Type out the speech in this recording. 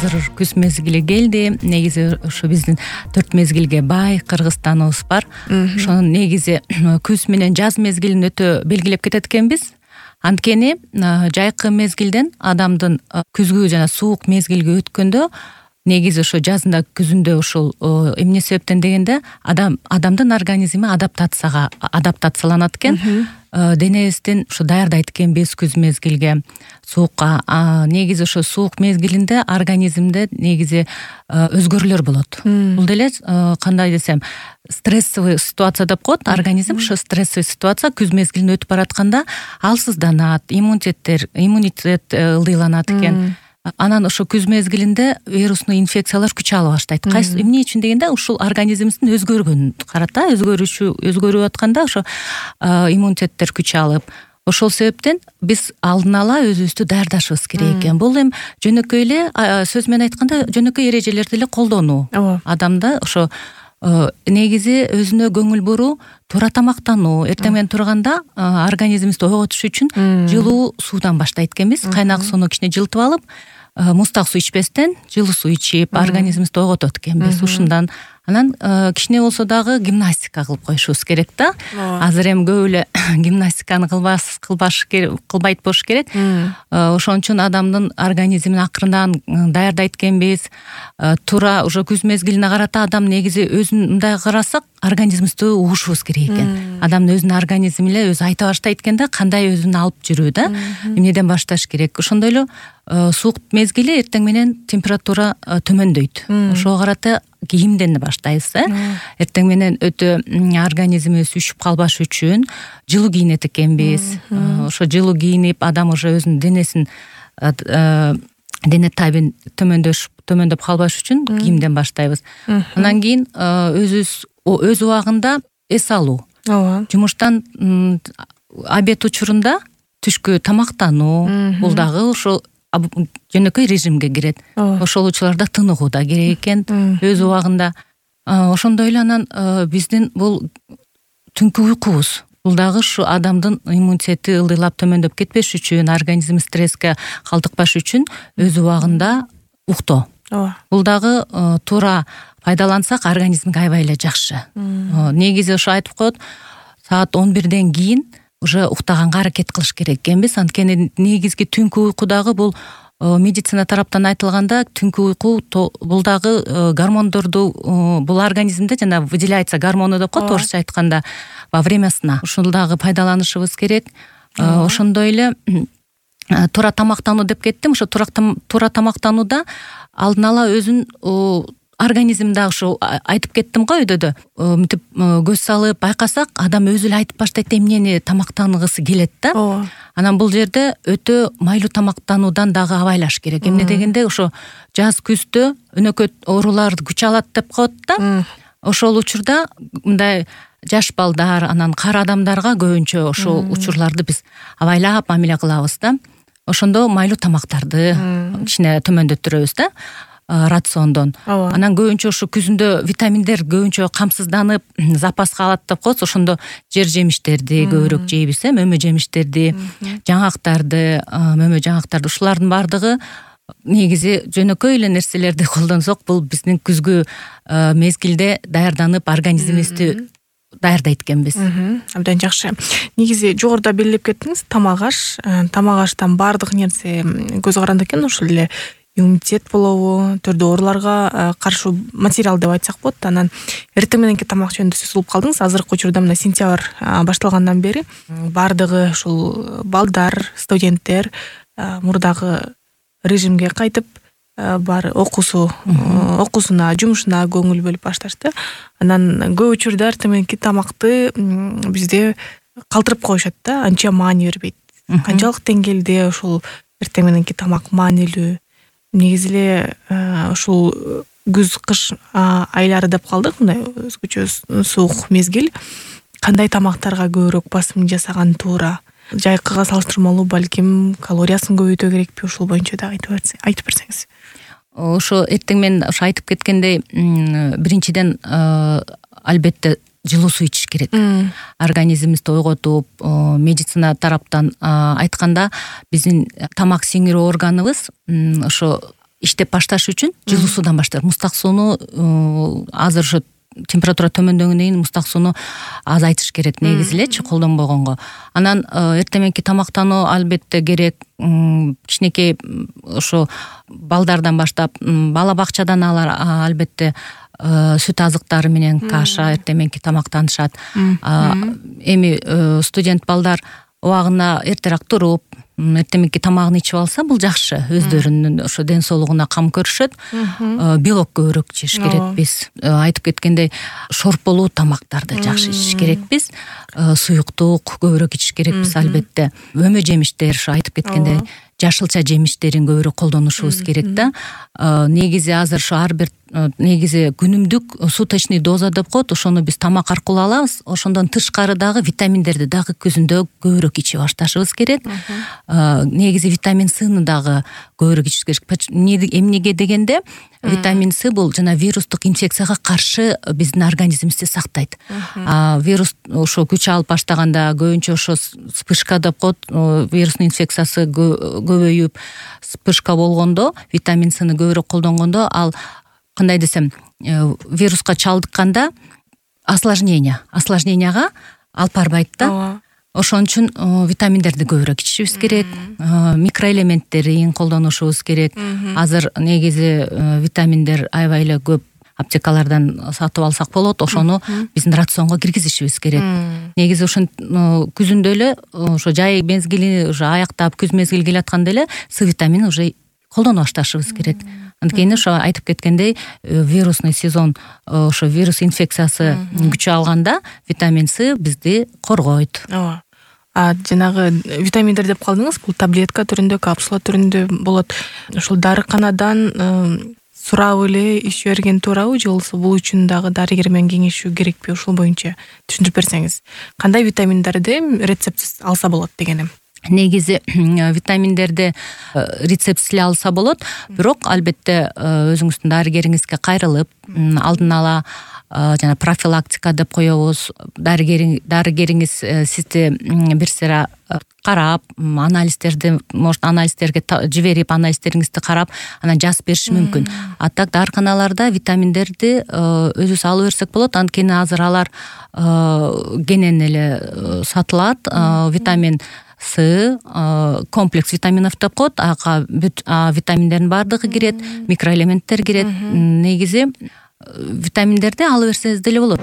азыр күз мезгили келди. Негизи ошо биздин 4 мезгилге бай Кыргызстаныбыз бар. Ошонун негизи күз менен жаз мезгилин өтө белгилеп кетет экенбиз. Анткени жайкы мезгилден адамдын күзгү жана суук мезгилге өткөндө негизи ошо жазында күзүндө ушул эмне себептен дегенде адамдын организми адаптацияланат экен. Денебизден ушу даярдайт экенбиз күз мезгилге, суукка. Негизи ошо суук мезгилинде организмде негизи өзгөрүүлөр болот. Бул деле кандай десем, стрессовый ситуация деп коет. Организм ошо стрессовый ситуация күз мезгилин өтүп баратканда алсызданат, иммунитет ылдыйланат экен. Анан ошо күз мезгилинде вирусный инфекциялар күч ала баштайт. Кайсы эмне үчүн дегенде ушул организмибиздин өзгөргөнүн карата, өзгөрүп атканда ошо иммунитеттер күч алып, ошол себептен биз алдын ала өзүбүздү даярдашыбыз керек экен. Бул эми жөнөкөй эле сөз менен айтканда жөнөкөй эрежелерди эле колдонуу. Адамда ошо негизи өзүнө көңүл буруу, туура тамактануу. Эртең менен турганда организмибизди ойготуш үчүн жылуу суудан баштайт экенбиз. Кайнак сууну кичине жылытып алып, муздак суу ичпестен жылуу суу ичип, организмибизди ойготот экенбиз. Ушундан анан кичине болсо дагы гимнастика кылып коюшубуз керек да. Азыр эми көп эле гимнастиканы кылбайт болуш керек. Ошон үчүн адамдын организмин акырындан даярдайт экенбиз. Туура уже күз мезгилине карата адам негизи өзүн мындай карасак, организмибизди угушубуз керек экен. Адамдын өзүнүн организми эле өзү айта баштайт экен да, кандай өзүн алып жүрүү да, эмнеден башташ керек. Ошондой эле суук мезгили эртең менен температура төмөндөйт. Ошого карата кийимден баштайбыз. Эртең менен өтө организмибиз üşүп калбаш үчүн жылуу кийинет экенбиз. Ошо жылуу кийинип, адам уже өзүнүн денесин дене табин төмөндөп калбаш үчүн кийимден баштайбыз. Андан кийин өз убагында эс алуу. Жумуштан обед учурунда түшкү тамактануу, бул дагы ошол жөнөкөй режимге кирет. Ошол учурларда тыныгуу да керек экен өз убагында. Ошондой эле анан биздин бул түнкү уйкубуз. Бул дагы ушу адамдын иммунитети ылдыйлап төмөндөп кетпеш үчүн, организм стресска калтыкпаш үчүн өз убагында уктоо. Бул дагы туура пайдалансак организмге аябай эле жакшы. Негизи ошо айтып коет, саат 11ден кийин уже уктаганга аракет кылыш керек экенбиз. Анткени негизги түнкү уйку дагы бул медицина тараптан айтылганда, түнкү уйку бул дагы гормондорду бул организмде жана выделяется гормону деп коет орусча айтканда во время сна. Ушул дагы пайдаланышыбыз керек. Ошондой эле туура тамактануу деп кеттим. Ошо туура тамактанууда алдын ала өзүн организм дагы ушу айтып кеттим го, өйдө мынтип көз салып байкасак, адам өзү эле айтып баштайт эмнени тамактангысы келет да. Анан бул жерде өтө майлуу тамактануудан дагы абайлаш керек. Эмне дегенде ошо жаз күздө өнөкөт оорулар күч алат деп коет да. Ошол учурда мындай жаш балдар, анан кара адамдарга көбүнчө ошол учурларды биз абайлап мамиле кылабыз да. Ошондо майлуу тамактарды кичине төмөндөттүрөбүз да. Рациондон. Анан көбүнчө ушу күзүндө витаминдер көбүнчө камсызданып, запаска алат деп коет. Ошондо жер жемиштерди көбүрөөк жейбиз, мөмө жемиштерди, мөмө жаңактарды, ушулардын баардыгы негизи жөнөкөй эле нерселерди колдонсок, бул биздин күзгү мезгилде даярданып организмибизди даярдайт экенбиз. Абдан жакшы. Негизи жогоруда белгилеп кеттиңиз, тамак аш, тамак-аштан баардык нерсе көз каранды экен. Ошол эле иммунитет болобу, түрдүү ооруларга каршы материал деп айтсак болот. Анан эртең мененки тамак жөнүндө сөз кылып калдыңыз. Азыркы учурда мына сентябрь башталгандан бери баардыгы ушул балдар, студенттер мурдагы режимге кайтып, баары окуусуна, жумушуна көңүл бөлүп башташты. Анан көп учурда эртең мененки тамакты бизде калтырып коюшат да, анча маани бербейт. Канчалык деңгээлде ушул эртең мененки тамак маанилүү? Негизи эле ушул күз-кыш айлары деп калдык, мындай өзгөчө суук мезгил. Кандай тамактарга көбүрөөк басым жасаган туура? Жайкыга салыштырмалуу балким калориясын көбөйтүү керекпи? Ушул боюнча да айтып берсеңиз. Ошо эртең менен ошо айтып кеткендей, биринчиден албетте жылуу суу ичиш керек. Организмибизди ойготуп, медицина тараптан айтканда, биздин тамак сиңирүү органыбыз ошо иштеп башташ үчүн жылуу суудан баштап, муздак сууну азыр ошо температура төмөндөгөндөн кийин муздак сууну азайтыш керек негизи элечи колдонбогонго. Анан эртең мененки тамактануу албетте керек. Кичинекей ошо балдардан баштап бала бакчадан алар албетте сүт азыктары менен каша эртең мененки тамактанышат. Эми студент балдар убагына эртерээк туруп, эртең мененки тамагын ичип алса, бул жакшы. Өздөрүнүн ошо ден соолугуна кам көрүшөт. Белок көбүрөөк жеш керекпиз. Айтып кеткендей, шорполуу тамактарды жакшы ичиш керекпиз. Суюктук көбүрөөк ичиш керекпиз албетте. Өмө жемиштер, ошо айтып кеткендей, жашылча жемиштерин көбүрөөк колдонушубуз керек да. Негизи азыр ошо ар бир негизи күнүмдүк суточный доза деп коет, ошону биз тамак аркылуу алабыз. Ошондон тышкары дагы витаминдерди дагы күзүндө көбүрөөк ичип башташыбыз керек. Негизи витамин Сны дагы көбүрөөк ичиш керек. Эмнеге дегенде, витамин С бул жана вирустук инфекцияга каршы биздин организмибизди сактайт. Вирус ошо күч алып баштаганда, көбүнчө ошо вспышка деп коет, вирустун инфекциясы көбөйүп, вспышка болгондо, витамин Сны көбүрөөк колдонгондо, ал кандай десем, вируска чалдыкканда осложненияга алып барбайт да. Ошон үчүн витаминдерди көбүрөөк ичишибиз керек, микроэлементтерин колдонушубуз керек. Азыр негизи витаминдер аябай эле көп аптекалардан сатып алсак болот, ошону биздин рационго киргизишибиз керек. Негизи ошон күзүндө эле ошо жай мезгили уже аяктап, күз мезгили келатканда эле С витаминин уже колдоно башташыбыз керек. Анткени ошо айтып кеткендей, вирусный сезон, ошо вирус инфекциясы күч алганда витамин С бизди коргойт. Жанагы витаминдер деп калдыңыз, бул таблетка түрүндө, капсула түрүндө болот. Ошол дарыканадан сурап эле ичип берген туурабы, же болбосо бул үчүн дагы дарыгер менен кеңешүү керекпи? Ошол боюнча түшүндүрүп берсеңиз. Кандай витаминдерди рецептсиз алса болот дегеним. Негизи витаминдерди рецептсиз эле алса болот, бирок албетте өзүңүздүн дарыгериңизге кайрылып, алдын ала жана профилактика деп коебуз. Дарыгериңиз сизди бир сыйра карап, анализдерди, может анализдерге жиберип, анализдериңизди карап, анан жазып бериши мүмкүн. А так дарыканаларда витаминдерди өзүбүз алып берсек болот. Анткени азыр алар кенен эле сатылат. Витамин С, комплекс витаминов деп коет, ага витаминдердин баардыгы кирет, микроэлементтер кирет. Негизи витаминдерди алып берсеңиз деле болот.